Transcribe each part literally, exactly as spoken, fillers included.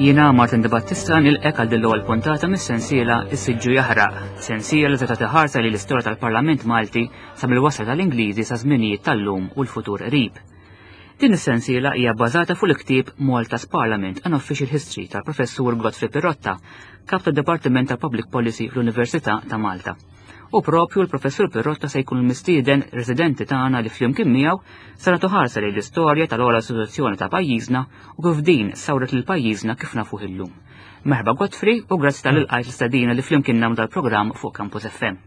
Jiena Martin De Battista nilqgħek għal din l-ewwel puntata mis-sensiela Is-Siġġu Jaħraq, sensiela li tagħti ħarsa li l-istorja tal-Parlament Malti sa mill-wasla tal-Ingliżi sa żminijiet tal-lum u l-futur qrib. Din is-sensiela hija bbażata fuq il-ktieb Malta's Parliament: An Official History tal-Professur Godfrey Pirotta, kap tad-Dipartiment tal-Public Policy fl-Università ta' Malta. U propju l-Professur Pirotta se jkun il-mistieden residenti tagħna li flimkien miegħu se nagħtu ħarsa lejn l-istorja tal-ogħla istituzzjoni ta' pajjiżna u kif din sawret lil pajjiżna kif nafuh illum. Merħba, Godfrey, u grazzi talli lqajt l-istedina li flimkien nagħmlu dal-programm fuq Campus F M.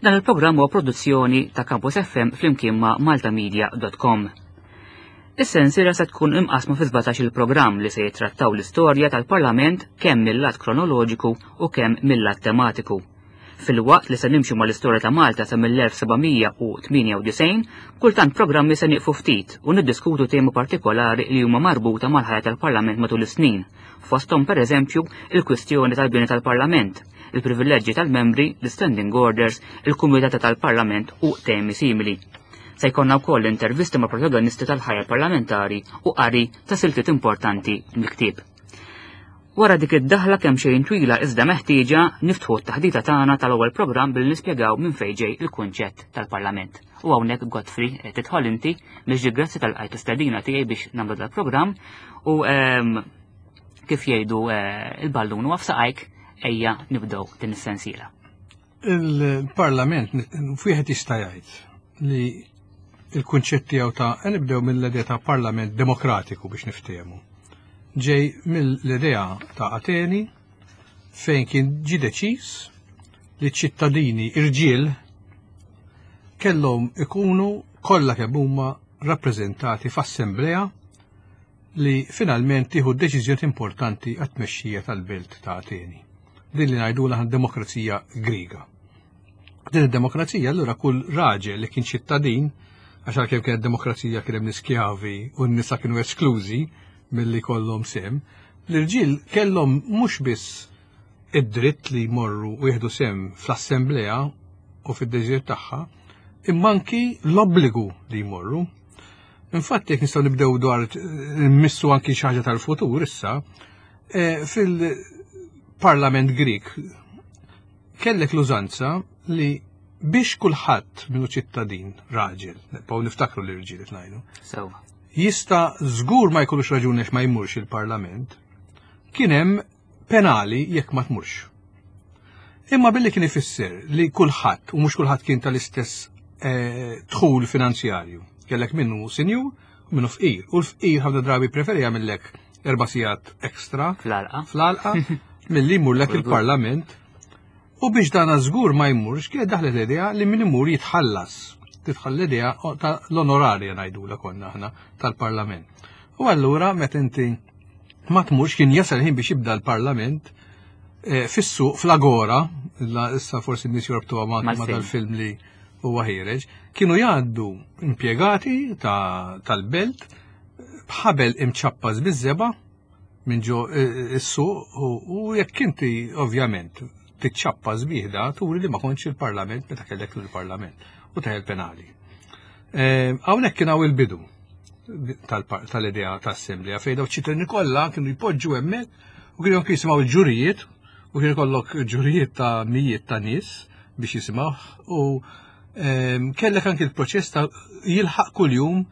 Dan il-programm huwa produzzjoni ta' Campus F M flimkien ma' maltamedia punt com. Is-sensiela se tkun imqasma fi sbatax il-programm li se jittrattaw l-istorja tal-Parlament kemm mill-lat kronoloġiku u kemm mill-lat tematiku. Filwaqt li se nimxu mal-istorja ta' Malta sa mill-elf seba' mija u tmienja u disgħin, kultant programmi se nieqfu ftit u niddiskutu temi partikolari li huma marbuta mal-ħajja tal-Parlament matul is-snin. Fosthom, per eżempju, il-kwistjoni tal-bini tal-Parlament, il-privileġġi tal-membri, l-standing orders, il-kumitati tal-Parlament u temi simili. Se jkollna wkoll intervisti ma' protagonisti tal-ħajja parlamentari u qari ta' siltiet importanti mill-ktieb. Wara dik id-daħla kemm xejn twila iżda meħtieġa, niftħu t-taħdita tagħna tal-ewwel programm billi nispjegaw minn fejn ġej il-kunċett tal-Parlament. U hawnhekk, Godfrey, eh, tidħol inti biex grazzi talli lqajt l-istedina tiegħi biex nagħmlu dal-programm u ehm, kif jgħidu, eh, il-ballun huwa f'saqajk, ejja nibdew din is-sensiela. Il-Parlament wieħed jista' jgħid li il-kunċett tiegħu ta' nibdew mill-idea ta' Parlament demokratiku biex niftehmu. Ġej mill-idea ta' Ateni, fejn kien ġi deċiż li ċittadini irġiel kellhom ikunu kollha kemm huma rappreżentati f'assemblea li finalment tieħu deċiżjoni importanti għat-tmexxija tal-belt ta' Ateni. Din li ngħidulha demokrazija Griega. Din id-demokrazija, allura, kull raġel li kien ċittadin, għax għalkemm kienet demokrazija kien hemm l-iskjavi u n-nisa kienu esklużi milli kollhom sehem, l-irġiel kellhom mhux biss id-dritt li jmorru u jieħdu sehem fl-assemblea u fid-deċiżjoni tagħha, imma anki l-obbligu li jmorru. Infatti, jekk nistgħu nibdew dwar nmissu anki xi ħaġa tal-futur issa, eh, fil-Parlament Grik kellek l-użanza li biex kulħadd minnu ċittadin raġel, nibqgħu niftakru li rġiel qed ngħidu, Sewa. jista' żgur ma jkollux raġuni għax ma jmurx il-Parlament, kien hemm penali jekk ma tmurx. Imma billi kien ifisser li kulħadd, u mhux kulħadd kien tal-istess eh, dħul finanzjarju, kellek minnu sinjur u minnu fqir. U l-fqir ħafna drabi preferi jagħmellek erba' sigħat ekstra Fl-għalqa. fl-għalqa milli jmurlek il-Parlament. U biex dan żgur ma jmurx, kienet daħlet l-idea li min imur jitħallas. Tidħol l-idea ta' l-onorarja, ngħidula konna aħna, tal-Parlament. U allura meta inti ma tmurx, kien jasal ħin biex jibda l-Parlament eh, fis-suq fl-Agora, la issa forsi n-nies jorbtuha ma' ma' Mal-film. dal-film li huwa ħiereġ, kienu jgħaddu impjegati ta' tal-belt b'ħabel imċappas biż-żebgħa minn ġo eh, is-suq u u jekk inti ovvjament tiċċappas bih, turi li ma kontx il-Parlament meta kellek il-Parlament u teħel penali. Eh, Hawnhekk kien hawn il-bidu tal- tal-idea ta' assemblea fejn daw ċittadini kollha kienu jpoġġu hemmhekk u kienu anke jisimgħu l-ġurijiet u kienu jkollok ġurijiet ta' mijiet ta' nies biex jisimgħu u ehm, kellek anke il-proċess ta' jilħaq kuljum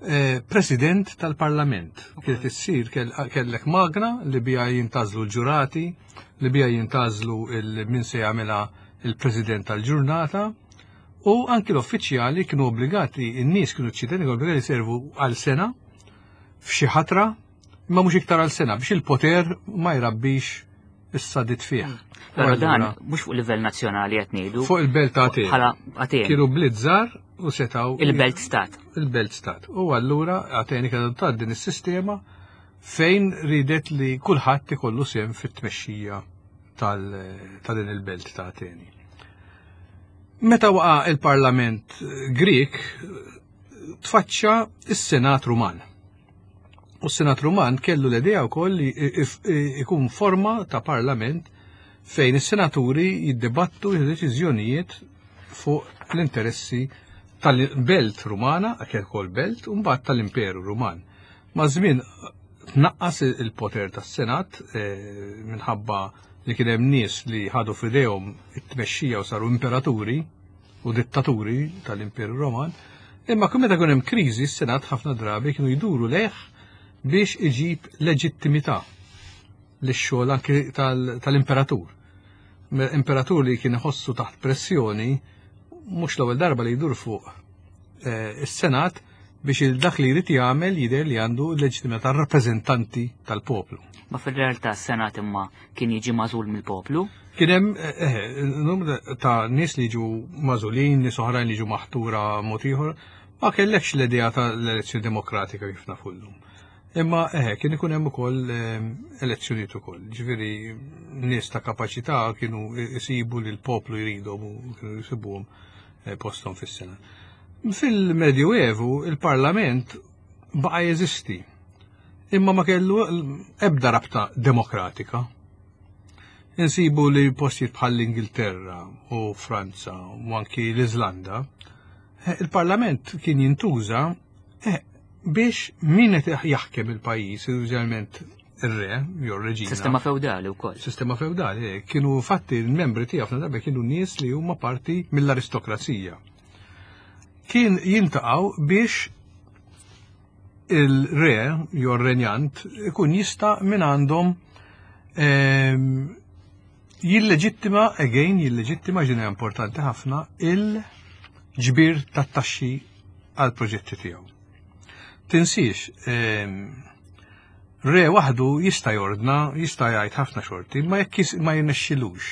eh, president tal-Parlament. Kienet issir kell- kellek magna li bija jintgħażlu l-ġurati, li bija jintgħażlu il- min se jagħmilha il-president tal-ġurnata. U anki l-uffiċjali kienu obbligati, in-nies kienu, ċittadini obbligati servu għal sena f'xi ħatra, imma mhux iktar għal sena biex il-poter ma jrabbix is-sadid fih. Però dan Allura, mhux fuq livell nazzjonali qed ngħidu. Fuq il-belt ta' Ateni. Bħala Ateni. Kienu bliet żgħar u setaw Il-belt stat. Il-belt stat. U allura Ateni kienet adottat din is-sistema fejn ridet li kulħadd ikollu sehem fit-tmexxija tal- ta' din il-belt ta' Ateni. Meta waqa il-Parlament Grik, tfaċċa is-Senat Ruman. U s-Senat Ruman kellu l-idea wkoll li if- ikun forma ta' parlament fejn is-senaturi jiddibattu deċiżjonijiet fuq l-interessi tal-belt Rumana, kien ukoll belt, u mbagħad tal-Imperu Ruman. Ma' żmien Tnaqqas il-poter tas-Senat eh, minħabba li kien hemm nies li ħadu f'idejhom it-tmexxija u saru imperaturi u dittaturi tal-Imperu Roman. Imma kull meta kien hemm kriżi, s-Senat ħafna drabi kienu jduru lejh biex iġib leġittimità lix-xogħol anki tal-imperatur. Imperatur li kien iħossu taħt pressjoni, mhux l-ewwel darba li jdur fuq eh, is-Senat biex il-dak li jrid jagħmel jidher li għandu l-leġittimità tar-rappreżentanti tal-poplu. Ma fil-realtà s-Senat imma kien jiġi magħżul mill-poplu? Kien hemm eh, eh, numru ta' nies li jiġu magħżulin, nies oħrajn li jiġu maħtura mod ieħor, ma kellekx l-idea tal-elezzjoni demokratika kif nafu llum. Imma eh, kien ikun hemm ukoll eh, elezzjonijiet ukoll. Ġifieri nies ta' kapaċità kienu jsibu li l-poplu jridhom u kienu jsibuhom eh, posthom fis-Senat. Fil-Medjuevu il-Parlament baqa' jeżisti, imma ma kellu ebda rabta demokratika. Insibu li postijiet bħal l-Ingilterra u Franza u anki l-Iżlanda, eh, il-Parlament kien jintuża eh, biex min qed jaħkem il-pajjiż, użalment ir-re jew reġina. Sistema feudali wkoll. Sistema feudali, eh, kienu fatti l-membri tiegħu ħafna drabi kienu nies li huma parti mill-aristokrazija. Kien jiltaqgħu biex il-re jew renjant ikun jista' minn għandhom ehm, jilleġittima, again, jilleġittima ġinja importanti ħafna, il-ġbir tat-taxxi għal proġetti tiegħu. Tinsiex, ehm, re waħdu jista' jordna, jista' jgħid ħafna xorti, ma jekk ma jirnexxilux.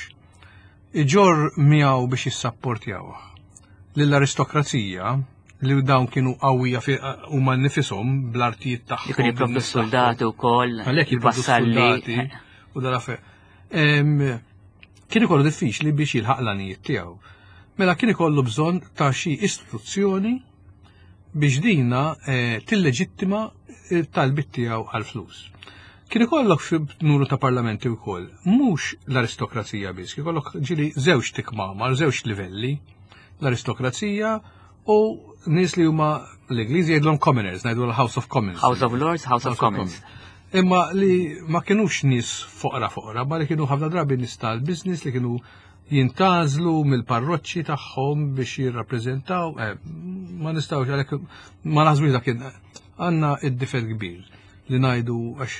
Iġorr miegħu biex jissapportjawh. Lill-aristokrazija li dawn kienu qawwija huma nifishom bl-artijiet tagħhom. Li kienu jipprovdu s-soldati wkoll, Għalhekk jipprovdu il-vassalli. S-soldati u dal Kien ikollu diffiċli biex jilħaq l-għanijiet tiegħu. Mela kien ikollu bżonn ta' xi istituzzjoni biex dina eh, tilleġittima il-talbit tiegħu għal-flus. Kien ikollok fi numru ta' parlamenti wkoll, mhux l-aristokrazija biss, kien ikollok ġieli żewġ tikmamar, żewġ livelli, l-aristokrazija u nies li huma l-Ingliżi jgħidulhom commoners, ngħidu l-House of Commons. House of Lords, House of Commons. Imma li ma kienux nies foqra foqra, ma li kienu ħafna drabi nies tal-business li kienu jintgħażlu mill-parroċċi tagħhom biex jirrappreżentaw, eh, ma nistgħux għalhekk ma naħsbux dak kien għandna id-difett kbir li ngħidu għax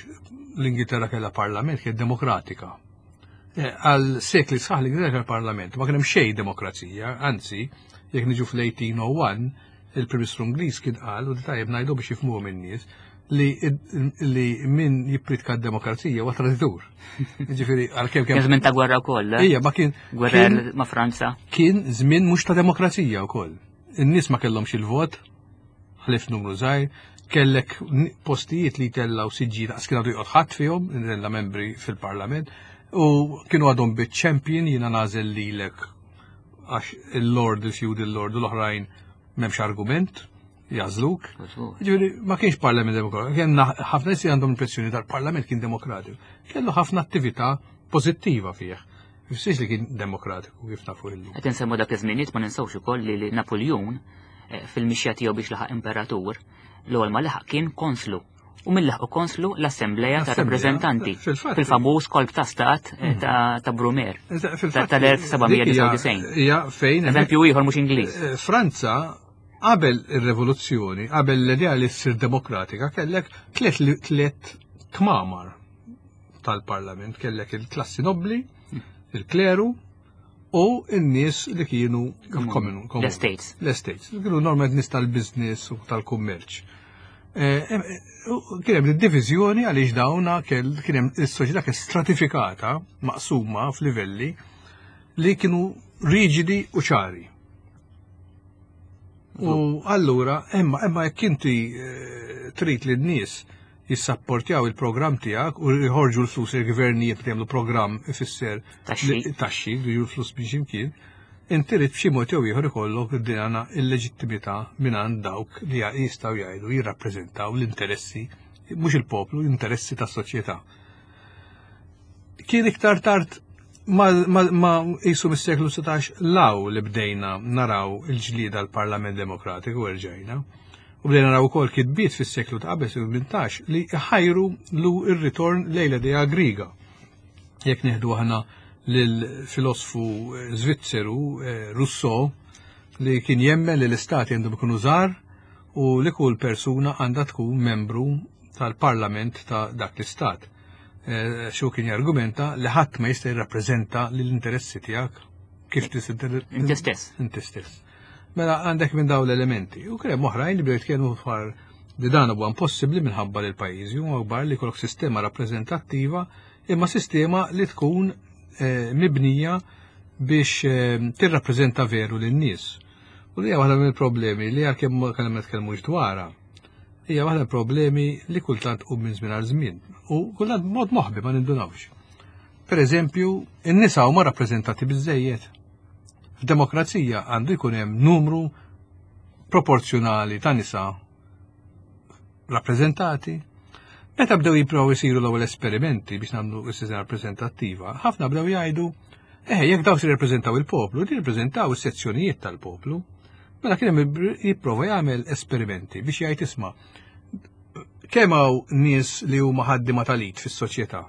l-Ingilterra kellha parlament kien demokratika. Eh, Għal sekli sħaħ l-Ingilterra kellha parlament, ma kien hemm xejn demokrazija, anzi, jekk niġu fl-eighteen oh one, il-Prim Ministru Ingliż kien qal, u tajjeb ngħidu biex jifhmuhom in-nies, li, li min jippritka d-demokrazija huwa traditur. Ġifieri għalkemm Kien kemm żmien ta' gwerra wkoll, eh? Ija, ma kien Gwerra kien- ma' Franza. Kien żmien mhux ta' demokrazija wkoll. In-nies ma kellhomx il-vot, ħlif numru żgħir, kellek n- postijiet li tellaw siġġi daqs kien għadu joqgħod ħadd fihom, tella' membri fil-parlament, u kienu għadhom bit-champion jiena nagħżel lilek għax il-lord, il-feudal lord u l-oħrajn m'hemmx argument, jagħżluk. Ġifieri, ma kienx parlament demokratiku, kien ħafna nies li għandhom impressjoni tal-parlament kien demokratiku. Kellu ħafna attività pożittiva fih. Fissiex li kien demokratiku kif nafu illum. Qed insemmu dak iż-żminijiet, ma ninsewx ukoll li li Napoleon eh, fil-mixja tiegħu biex laħaq imperatur, l-ewwel ma laħaq kien konslu. U min laħqu konslu? L-Assembleja ta' L-Assembleja, Rappreżentanti. Fil-fatt. Fil-famuż kolp ta' stat eh, ta' ta' Brumaire. Fil-fatt, tal-elf seba' mija disgħa u disgħin. Hija fejn Eżempju ieħor mhux Ingliż. Eh, Franza qabel ir-rivoluzzjoni, qabel l-idea li ssir demokratika, kellek tliet tliet kmamar tal-parlament, kellek il-klassi nobli, il-kleru u n-nies li kienu il-common. L-estates. L-estates. Kienu normalment nies tal-business u tal-kummerċ. Eh, eh, u kien hemm divizjoni għaliex dawna kell- kien hemm is-soċjetà kien stratifikata, maqsuma f'livelli li kienu riġidi u ċari. U allura, imma imma jekk inti eh, trid li n-nies jissapportjaw il-programm tiegħek u jħorġu l-flus, il-gvernijiet li jagħmlu programm ifisser Taxxi. li- taxxi li ju l-flus biex imkien, inti trid b'xi mod jew ieħor ikollok dina il-leġittimità minn għand dawk li jistgħu jgħidu jirrappreżentaw l-interessi, mhux il-poplu, l-interessi tas-soċjetà. Kien iktar tard ma, ma, ma jisu mis-seklu sittax law li bdejna naraw il-ġlida l-Parlament Demokratiku erġajna. U bdejna naraw ukoll kitbiet fis-seklu ta' qabel seklu tmintax li ħajru lu r-ritorn lejn l-idea Griega. Jekk nieħdu aħna lill-filosfu Svizzeru Rousseau li kien jemmen li l-istati għandhom ikunu żgħar u li kull persuna għandha tkun membru tal-parlament ta' dak l-istat. Xu kien jargumenta li ħadd ma jista' jirrappreżenta l-interessi tiegħek kif Inti stess. Inti stess. Mela għandek minn dawn l-elementi. U kien hemm oħrajn li bdew jitkellmu dwar li dan huwa impossibbli minħabba li l-pajjiżi huma kbar li jkollok sistema rappreżentattiva imma sistema li tkun mibnija biex tirrappreżenta veru lin-nies. U li hija waħda mill-problemi li għalkemm ma kellna nitkellmux dwarha. Hija waħda mill-problemi li kultant tqum minn żmien għal żmien u kultant mod moħbi ma nindunawx. Per eżempju, in-nisa huma rappreżentati biżejjed. F'demokrazija għandu jkun hemm numru proporzjonali ta' nisa rappreżentati. Meta bdew jippruvaw isiru l-ewwel esperimenti biex nagħmlu s-sistema rappreżentattiva, ħafna bdew jgħidu, eh, jekk daw se jirrappreżentaw il-poplu, jirrappreżentaw is-sezzjonijiet tal-poplu. Mela kien hemm jipprova jagħmel esperimenti biex jgħid isma' kemm hawn nies li huma ħaddiema tal-id fis-soċjetà.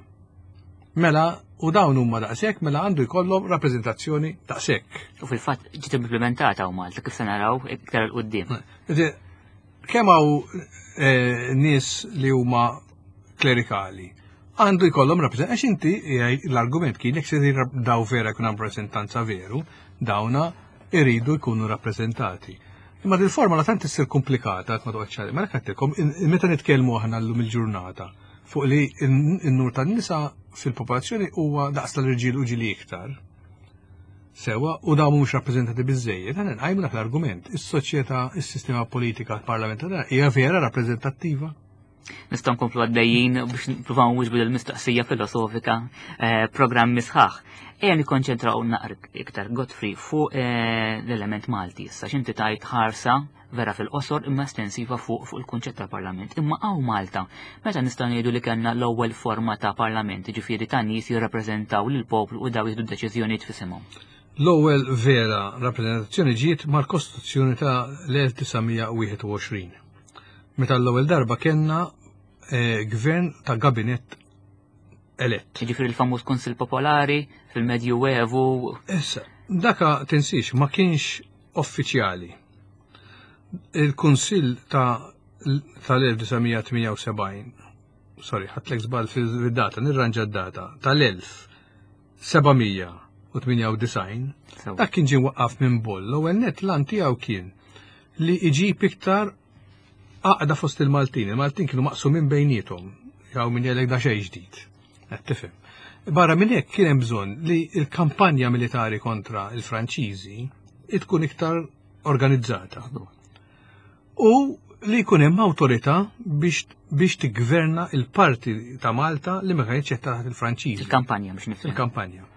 Mela u dawn huma daqshekk, mela għandu jkollhom rappreżentazzjoni daqshekk. U fil-fatt ġiet implementata hawn Malta kif se naraw iktar 'il quddiem. Kemm hawn nies li huma klerikali għandu jkollhom rappreżentanza għax inti l-argument kien jekk se daw vera jkun hemm rappreżentanza veru, dawna iridu jkunu rappreżentati. Imma dil forma tant issir komplikata ma toqgħodx għalih. Mela għedtilkom meta nitkellmu aħna llum il-ġurnata fuq li n-nur tan-nisa fil-popolazzjoni huwa daqs tal-irġiel u ġili iktar. Sewa, u dawn mhux rappreżentati biżejjed, aħna nqajmu dak l-argument. Is-soċjetà, is-sistema politika parlamentari hija vera rappreżentattiva. Nistgħu nkomplu għaddejjin biex nippruvaw nwieġbu l-mistoqsija filosofika programmi sħaħ. Ejja nikkonċentraw naqra iktar Godfrey fuq l-element Malti issa x'inti tajt ħarsa vera fil-qosor imma estensiva fuq fuq il-kunċett tal-Parlament. Imma hawn Malta, meta nistgħu ngħidu li kellna l-ewwel forma ta' Parlament, ġifieri ta' nies jirrappreżentaw lill-poplu u daw jieħdu deċiżjonijiet f'isimhom. L-ewwel vera rappreżentazzjoni ġiet mal-Kostituzzjoni ta' l-elf disa' mija u wieħed u għoxrin. Meta l-ewwel darba kellna gvern ta' gabinett elett. Ġifieri l-famuż Kunsill Popolari fil-Medju Evu. Issa, daka tinsiex ma kienx uffiċjali. Il-Kunsill ta' tal-elf disa' mija tmija u sebgħin, sorry, ħadtlek żball fil-data, nirranġa d-data, tal-elf seba' mija u tmija u disgħin, Sew. dak kien ġie waqqaf minn Boll. L-ewwel net l-għan tiegħu kien li iġib iktar għaqda fost il-Maltin. Il-Maltin kienu maqsumin bejniethom, jew min jgħidlek da xejn ġdid. Qed tifhem. Barra minn hekk kien hemm bżonn li l-kampanja militari kontra il-Franċiżi tkun iktar organizzata. U li jkun hemm awtorità biex, biex tiggverna il-parti ta' Malta li ma kienx qed taħt il-Franċiżi. Il-kampanja biex nifhem. Il-kampanja.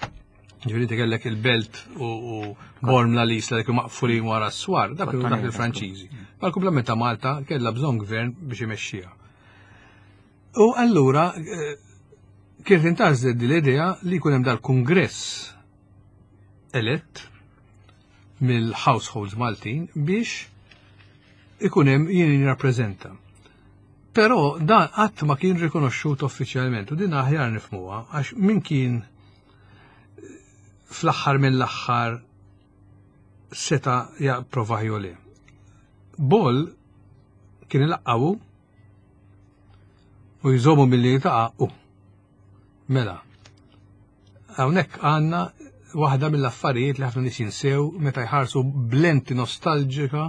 Ġifieri inti kellek il-Belt u, u Bormla l-Isla li kienu maqfulin wara s-swar, dak kienu taħt il-Franċiżi. Ma l-kumplament ta' Malta kellha bżonn gvern biex imexxiha. U allura eh, kienet intgħażlet din l-idea li jkun hemm dal-kungress elett mill-households Maltin biex ikun hemm jien jirrappreżenta. Però dan qatt ma kien rikonoxxut uffiċjalment u din aħjar nifhmuha għax min kien fl-aħħar mill-aħħar seta' japprova jew le. Boll kien ilaqqawu u jżommu milli taqa' u. Mela, hawnhekk għandna waħda mill-affarijiet li ħafna nies jinsew meta jħarsu b'lenti nostalġika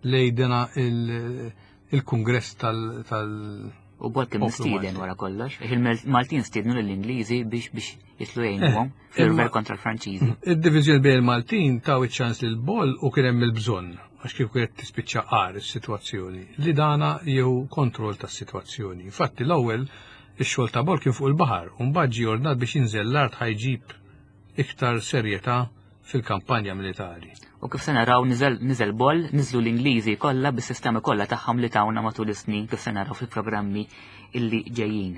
lejn dena il-, il-kungress tal-, tal- U Boll kien poplu mistieden Malti. wara kollox, il-Maltin stiednu lill-Ingliżi biex biex jitlu jgħinuhom Eh, fil-rver imma- kontra l-Franċiżi. Id-diviżjoni bejn il-Maltin taw iċ-ċans lil Boll u kien hemm il-bżonn għax kif kienet tispiċċa qar is-sitwazzjoni li dana jew kontroll tas-sitwazzjoni. Infatti l-ewwel ix-xogħol ta' Boll kien fuq il-baħar u mbagħad ġie ordnat biex jinżel l-art ħajġib iktar serjetà fil-kampanja militari. U kif se naraw niżel niżel Boll, niżlu l-Ingliżi kollha bis-sistemi kollha tagħhom li tawna matul is-snin kif se naraw fil-programmi illi ġejjin.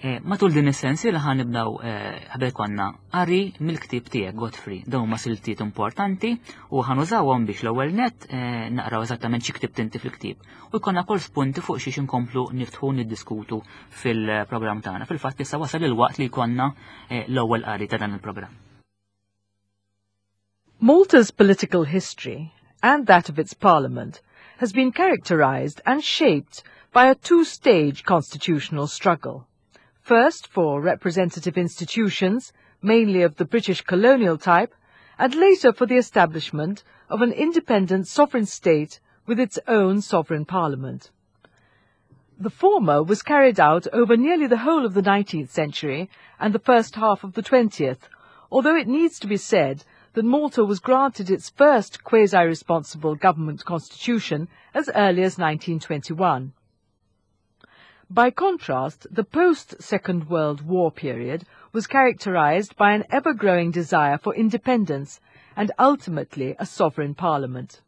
Eh, matul din is-sensiela ħa nibdew eh, ħabel konna qari mill-ktieb tiegħek Godfrey. Dawn huma siltiet importanti u ħa nużawhom biex l-ewwel net eh, naqraw eżattament xi ktibt inti fil-ktieb u jkollna kol spunti fuq xiex inkomplu niftħu niddiskutu fil-programm tagħna. Fil-fatt issa wasal il-waqt li jkollna l-ewwel qari ta' dan il-programm. Malta's political history and that of its parliament has been characterized and shaped by a two-stage constitutional struggle. First for representative institutions, mainly of the British colonial type, and later for the establishment of an independent sovereign state with its own sovereign parliament. The former was carried out over nearly the whole of the nineteenth century and the first half of the twentieth, although it needs to be said that Malta was granted its first quasi-responsible government constitution as early as nineteen twenty-one. By contrast, the post-Second World War period was characterized by an ever-growing desire for independence and ultimately a sovereign parliament.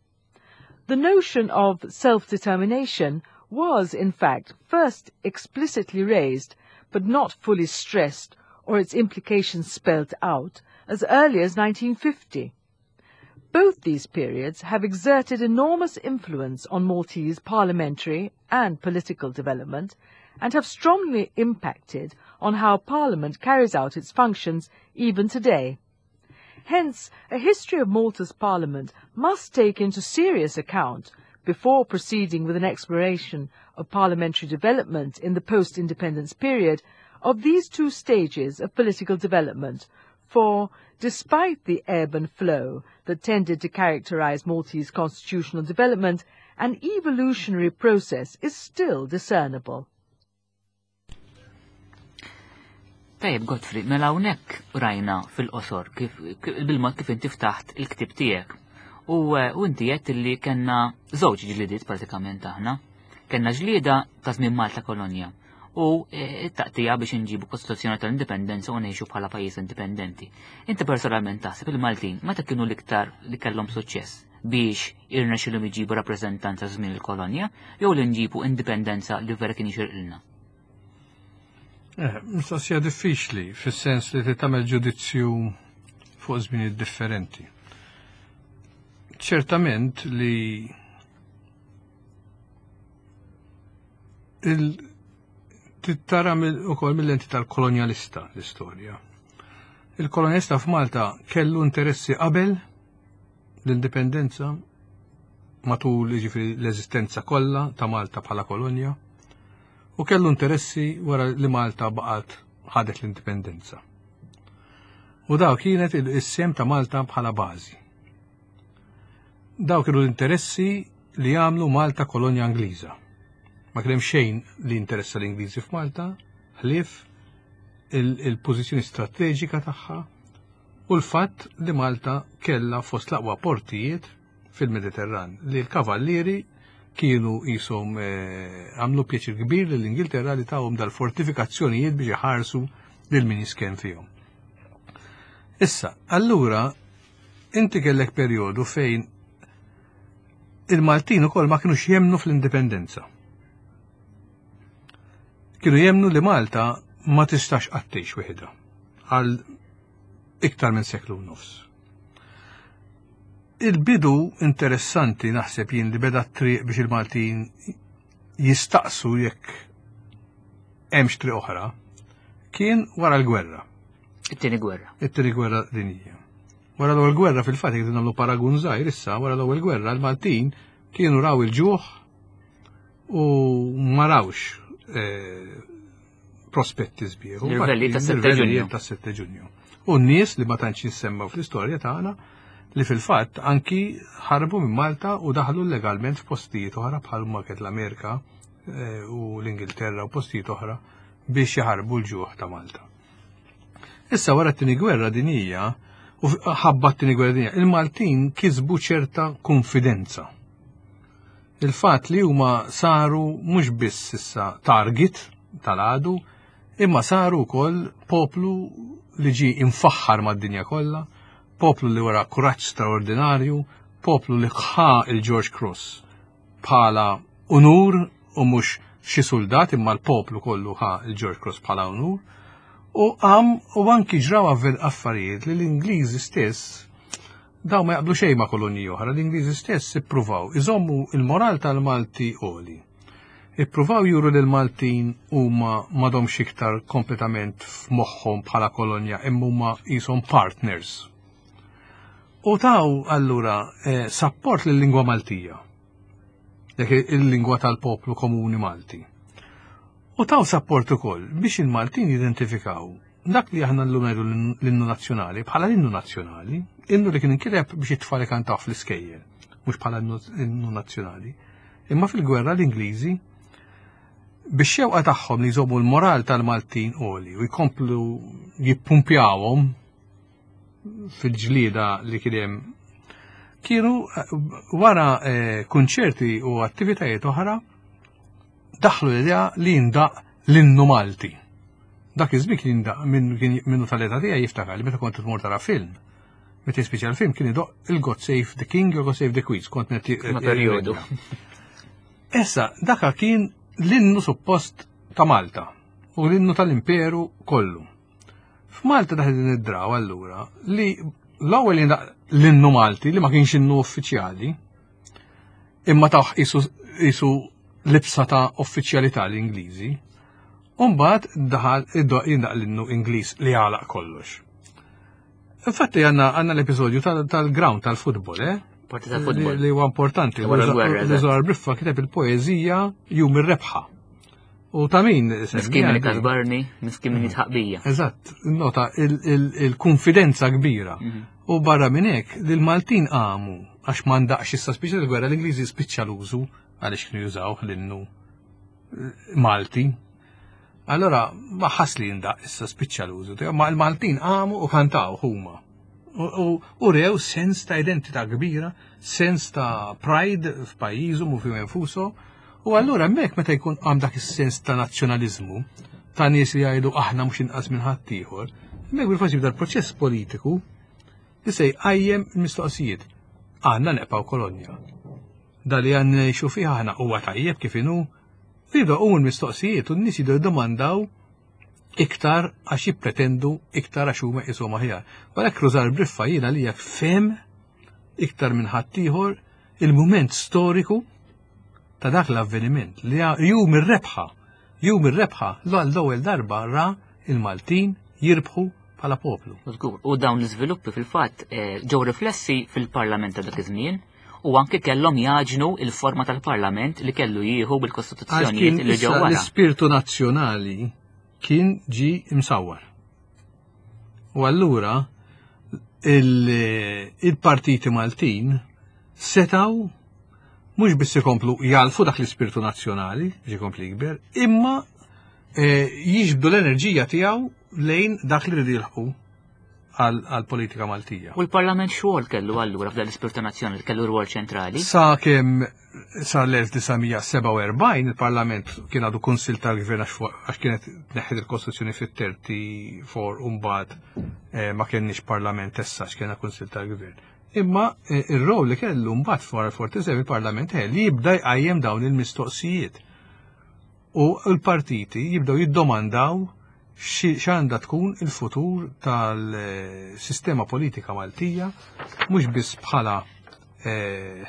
The notion of self-determination was, in fact, first explicitly raised, but not fully stressed or its implications spelt out, as early as nineteen fifty. Both these periods have exerted enormous influence on Maltese parliamentary and political development and have strongly impacted on how Parliament carries out its functions even today. Hence, a history of Malta's Parliament must take into serious account, before proceeding with an exploration of parliamentary development in the post-independence period, of these two stages of political development, for, despite the ebb and flow that tended to characterize Maltese constitutional development, an evolutionary process is still discernible. Tajjeb, Godfrey, mela hawnhekk rajna fil-qosor kif, bil-mod kif inti ftaħt il-ktieb tiegħek. U, u inti għedt li kellna żewġ ġlidiet pratikament aħna. Kellna ġlieda ta' żmien Malta kolonja u t-taqtija biex inġibu Kostituzzjoni tal-Indipendenza u ngħixu bħala pajjiż indipendenti. Inti personalment taħseb il-Maltin meta kienu l-iktar li kellhom suċċess biex irnexxilhom iġibu rappreżentanza żmien il-kolonja jew li nġibu indipendenza li vera kien jixirqilna? Eh, mistoqsija diffiċli fis-sens li tagħmel ġudizzju fuq żminijiet differenti. Ċertament li il tittara ukoll mill-lenti tal-kolonjalista l-istorja. Il-kolonjalista f'Malta kellu interessi qabel l-indipendenza matul jiġifieri l-eżistenza kollha ta' Malta bħala kolonja u kellu interessi wara li Malta baqgħet ħadet l-indipendenza. U daw kienet il-sem ta' Malta bħala bażi. Daw kienu l-interessi li għamlu Malta kolonja Ingliża. Ma kien hemm xejn li interessa l-Ingliżi f'Malta, ħlief il-pożizzjoni strateġika tagħha u l-fatt li Malta kellha fost l-aqwa portijiet fil-Mediterran li l-kavallieri kienu qishom għamlu pjaċir kbir lill-Ingilterra li tawhom dal-fortifikazzjonijiet biex iħarsu lil min jisken fihom. Issa, allura inti kellek perjodu fejn il-Maltin ukoll ma kinux jemnu fl-indipendenza. Kienu jemnu li Malta ma tistax qatt tgħix wieħedha għal iktar minn seklu nofs. Il-bidu interessanti naħseb jien li beda t-triq biex il-Maltin jistaqsu jekk hemmx triq oħra kien wara l-gwerra. It-tieni gwerra. It-tieni gwerra dinjija. Wara l-ewwel gwerra fil-fatt jekk nagħmlu paragun żgħir issa wara l-ewwel gwerra l-Maltin kienu raw il-ġuħ u ma rawx prospetti sbieħ. Il-rvelli ta' sette ġunju. U n-nies li ma tantx jissemmaw fl-istorja tagħna li fil-fatt anki ħarbu minn Malta u daħlu legalment f'postijiet oħra bħal ma kienet l-Amerika u l-Ingilterra u postijiet oħra biex jaħarbu l-ġuħ ta' Malta. Issa wara t-tieni gwerra dinjija u ħabba t-tieni gwerra dinjija, il-Maltin kisbu ċerta konfidenza. Il-fatt li huma saru mhux biss issa target tal-għadu, imma saru wkoll poplu li ġie imfaħħar mad-dinja kollha, poplu li wara kuraġġ straordinarju, poplu li ħa il-George Cross bħala unur u mhux xi soldat imma l-poplu kollu ħa il-George Cross bħala unur. U għam u anki ġraw affarijiet li l-Ingliżi stess daw ma jaqblu xejn ma' kolonji oħra, l-Ingliżi stess ippruvaw iżommu il-moral tal-Malti għoli. Ippruvaw juru li l-Maltin huma m'għadhomx iktar kompletament f'moħħhom bħala kolonja imma huma qishom partners. U taw allura eh, support lill-lingwa Maltija. Dik il-lingwa tal-poplu komuni Malti. U taw support ukoll biex il-Maltin jidentifikaw dak li aħna llum ngħidu l-innu nazzjonali bħala l-innu nazzjonali, innu li kien inkiteb biex it-tfal ikantaw fl-iskejjel, mhux bħala innu nazzjonali. Imma fil-gwerra l-Ingliżi biex xewqa tagħhom li jżommu l-moral tal-Maltin għoli u jkomplu jippumpjawhom fil-ġlieda li kien hemm kienu eh, wara eh, kunċerti u attivitajiet oħra daħlu l-idea li jindaq l-innu Malti. Dak iż-żmien kien jindaq minnu tal-età tiegħi jiftakar li meta kont tmur tara film. Meta jispiċċa l-film kien idoq il-God Save the King u God Save the Queen, kont netti. Periodu. Issa, daka kien l-innu suppost ta' Malta u l-innu tal-imperu kollu. F'Malta daħ din id-draw allura li l-ewwel l-innu Malti li ma kienx innu uffiċjali imma taħ isu libsa ta' uffiċjalità l-Ingliżi, u mbagħad daħal jindaq l-innu Ingliż li għalaq kollox. Infatti għandna għandna l-episodju tal-ground tal-futbol, eh? Parti tal-futbol. Li huwa importanti. Li Żorar Briffa kiteb il-poeżija Jum ir-Rebħa. U ta' min? Miskin min kasbarni, miskin min jitħaqbija. Eżatt, nota il-konfidenza kbira. Mhm. U barra minn hekk, li l-Maltin qamu għax m'għandaqx issa spiċċa l-gwerra l-Ingliżi spiċċa l-użu għaliex kienu jużaw l-innu Malti. Allora, ma ħas li jindaq issa spiċċa l-użu, ma l-Maltin qamu u kantaw huma. U rew sens ta' identità kbira, sens ta' pride f'pajjiżhom u fihom infushom. U allura hemmhekk meta jkun għam dak is-sens ta' nazzjonaliżmu, ta' nies li jgħidu aħna mhux inqas minn ħaddieħor, hemmhekk bil-faċli jibda l-proċess politiku li se jqajjem il-mistoqsijiet. Għandna neqpaw kolonja. Da li għandna ngħixu fih aħna huwa tajjeb kif inhu, jibdew u l-mistoqsijiet u n-nies jibdew jdomandaw iktar għax jippretendu iktar għax huma qishom aħjar. Għalhekk Rużar Briffa jiena li jekk fem iktar minn ħaddieħor il-mument storiku ta' dak l-avveniment li jum ir-rebħa, jum ir-rebħa l-ewwel darba ra il-Maltin jirbħu bħala poplu. U dawn l-iżviluppi fil-fatt eh, ġew riflessi fil-Parlament ta' dak iż-żmien u anke kellhom jaġnu il-forma tal-Parlament li kellu jieħu bil-Kostituzzjonijiet li ġew wara. L-ispirtu nazzjonali kien ġi imsawwar. U allura il-partiti Maltin setaw mhux biss ikomplu jalfu dak l-ispirtu nazzjonali biex ikompli jikber, imma eh, jiġbdu l-enerġija tiegħu lejn dak li rridu jilħqu għal-politika Maltija. U l-Parlament xogħol kellu allura f'dan l-ispirtu nazzjonali kellu rwol ċentrali? Sa kemm sa l-elf disa' mija sebgħa u erbgħin il-Parlament kien għadu kunsil tal-Gvern għax kienet tneħħet il-Kostituzzjoni fit-thirty-four u mbagħad, eh, ma kenniex Parlament issa għax kienha kunsil tal-Gvern. Imma, eh, ir-rol li kellu mbagħad wara l-forty-seven il-Parlament eh, li jibda jqajjem dawn il-mistoqsijiet. U l-partiti jibdew jiddomandaw x'għandha tkun il-futur tal-sistema politika Maltija, mhux biss bħala, eh,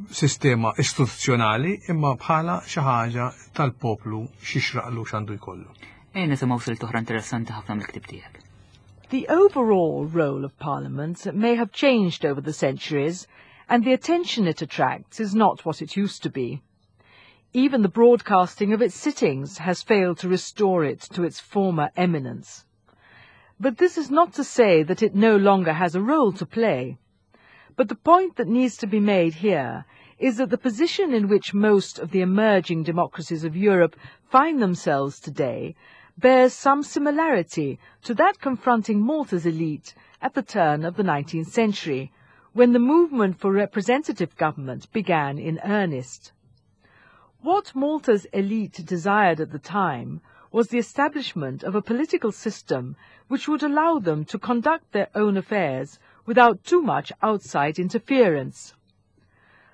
sistema istituzzjonali, imma bħala xi ħaġa tal-poplu x'ixraqlu x'għandu jkollu. Ejja nisimgħu silt oħra interessanti ħafna mill-ktieb tiegħek. The overall role of Parliament may have changed over the centuries, and the attention it attracts is not what it used to be. Even the broadcasting of its sittings has failed to restore it to its former eminence. But this is not to say that it no longer has a role to play. But the point that needs to be made here is that the position in which most of the emerging democracies of Europe find themselves today bears some similarity to that confronting Malta's elite at the turn of the nineteenth century, when the movement for representative government began in earnest. What Malta's elite desired at the time was the establishment of a political system which would allow them to conduct their own affairs without too much outside interference.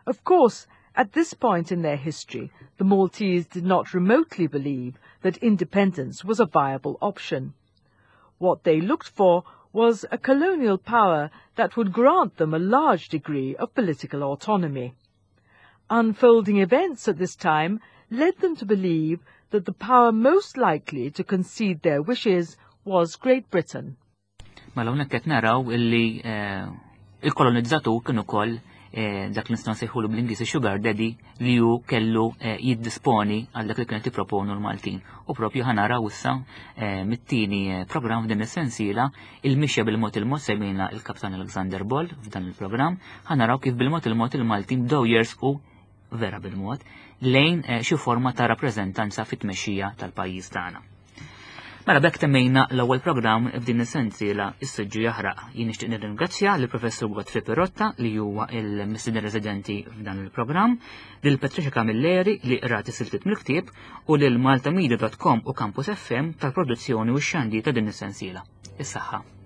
Of course, At this point in their history, the Maltese did not remotely believe that independence was a viable option. What they looked for was a colonial power that would grant them a large degree of political autonomy. Unfolding events at this time led them to believe that the power most likely to concede their wishes was Great Britain. Mela hawnhekk qed naraw illi eh, il-kolonizzatur kien ukoll eh, dak li nistgħu nsejħulu bl-Ingliż sugar daddy li hu kellu eh, jiddisponi għal dak li kienet jipproponu l-Maltin. U propju ħa naraw issa mit-tieni programm f'din is-sensiela il-mixja bil-mod il-mod semmejna il-Kaptan Alexander Ball f'dan il-programm, ħa naraw kif bil-mod il-mod il-Maltin bdew jersqu vera bil-mod lejn xi forma ta' rappreżentanza fit-tmexxija tal-pajjiż tagħna. Mela b'hekk temmejna l-ewwel programm f'din is-sensiela Is-Siġġu Jaħraq. Jien nixtieq nirringrazzja lill Professur Godfrey Pirotta li huwa il-mistieden residenti f'dan il-programm, lil Patricia Camilleri li qrat is-siltiet mill-ktieb u lil maltamedia dot com u Campus F M tal-produzzjoni u x-xandir ta' din is-sensiela. Is-saħħa.